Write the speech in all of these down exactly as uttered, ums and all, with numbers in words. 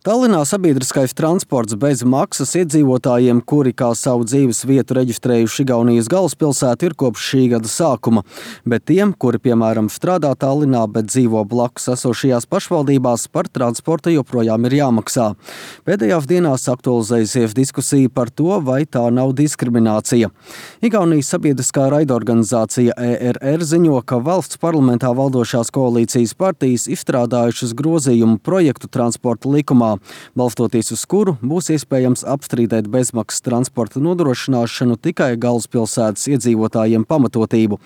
Tallinā sabiedriskais transports bez maksas iedzīvotājiem, kuri kā savu dzīves vietu reģistrējuši Igaunijas galvaspilsētu, ir kopš šī gada sākuma. Bet tiem, kuri, piemēram, strādā Tallinā, bet dzīvo blakus esošajās pašvaldībās, par transportu joprojām ir jāmaksā. Pēdējās dienās aktualizējusies diskusija par to, vai tā nav diskriminācija. Igaunijas sabiedriskā raidorganizācija E R R ziņo, ka valsts parlamentā valdošās koalīcijas partijas izstrādājušas grozījumu projektu transporta likumā, balstoties uz kuru būs iespējams apstrīdēt bezmaksas transporta nodrošināšanu tikai galvaspilsētas iedzīvotājiem pamatotību.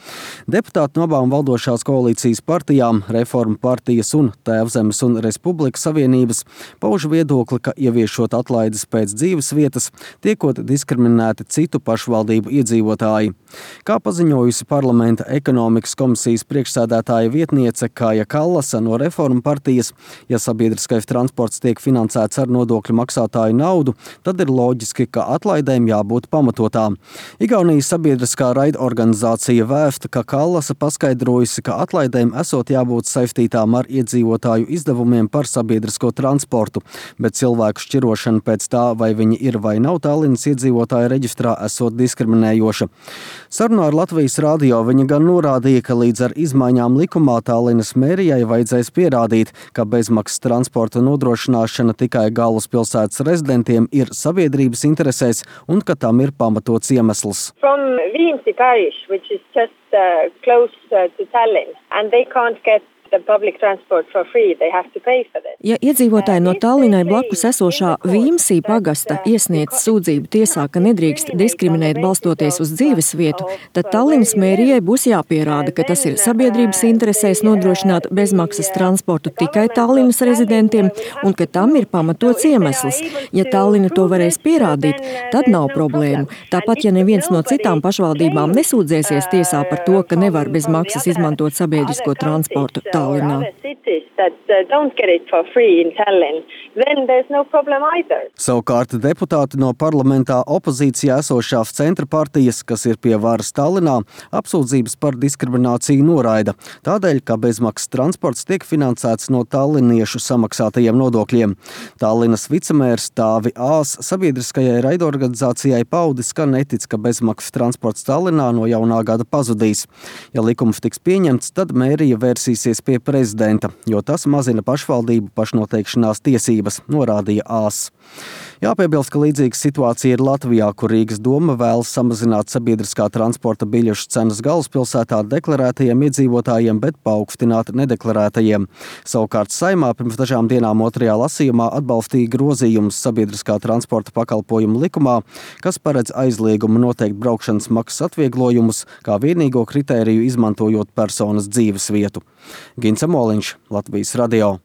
Deputāti no abām valdošās koalīcijas partijām, Reformu partijas un Tēvzemes un Republikas Savienības, pauž viedokli, ka ieviešot atlaides pēc dzīves vietas, tiekot diskriminēti citu pašvaldību iedzīvotāji. Kā paziņojusi parlamenta ekonomikas komisijas priekšsēdētāja vietniece Kāja Kallasa no Reformu partijas, ja sabiedriskais transports tiek finansēts finansēts ar nodokļu maksātāju naudu, tad ir loģiski, ka atlaidēm jābūt pamatotām. Igaunijas sabiedriskā raidorganizācija vēsta, ka Kallasa paskaidrojusi, ka atlaidēm esot jābūt saistītām ar iedzīvotāju izdevumiem par sabiedrisko transportu, bet cilvēku šķirošana pēc tā, vai viņi ir vai nav Tallinas iedzīvotāju reģistrā, esot diskriminējoša. Sarunā ar Latvijas radio viņa gan norādīja, ka līdz ar izmaiņām likumā Tallinas mērijai vajadzēs pierādīt, ka bezmaksas transporta nodrošināšana tikai galvaspilsētas rezidentiem ir sabiedrības interesēs un ka tam ir pamatots iemesls. From Viimsi parish, which is just uh, close uh, to Tallinn, and they can't get the public transport for free. They have to pay for this. Ja iedzīvotāji no Tallinai blakus esošā Viimsi pagasta iesniedz sūdzību tiesā, ka nedrīkst diskriminēt balstoties uz dzīves vietu, tad Tallinas mērijai būs jāpierāda, ka tas ir sabiedrības interesēs nodrošināt bezmaksas transportu tikai Tallinas rezidentiem un ka tam ir pamatots iemesls. Ja Tallina to varēs pierādīt, tad nav problēmu. Tāpat, ja neviens no citām pašvaldībām nesūdzēsies tiesā par to, ka nevar bez maksas izmantot sabiedrisko transportu Tallinā. Savukārt deputāti no parlamentā opozīcijā esošās centra partijas, kas ir pie varas Tallinā, apsūdzības par diskrimināciju noraida, tādēļ, ka bezmaksas transports tiek finansēts no talliniešu samaksātajiem nodokļiem. Tallinas vicemērs Tāvi Ās sabiedriskajai raidorganizācijai paudis, ka netic, ka bezmaksas transports Tallinā no jaunā gada pazudīs. Ja likums tiks pieņemts, tad mērija vērsīsies pie prezidenta, jo tas mazina pašvaldību pašnoteikšanās tiesības, norādīja Ās. Jāpiebilst, ka līdzīga situācija ir Latvijā, kur Rīgas doma vēlas samazināt sabiedriskā transporta biļešu cenas galvaspilsētā deklarētajiem iedzīvotājiem, bet paaugstināt nedeklarētajiem. Savukārt Saeimā pirms dažām dienām otrajā lasījumā atbalstīja grozījumus sabiedriskā transporta pakalpojumu likumā, kas paredz aizliegumu noteikt braukšanas maksas atvieglojumus, kā vienīgo kritēriju izmantojot personas dzīves vietu. Gints Amoliņš, Latvijas radio.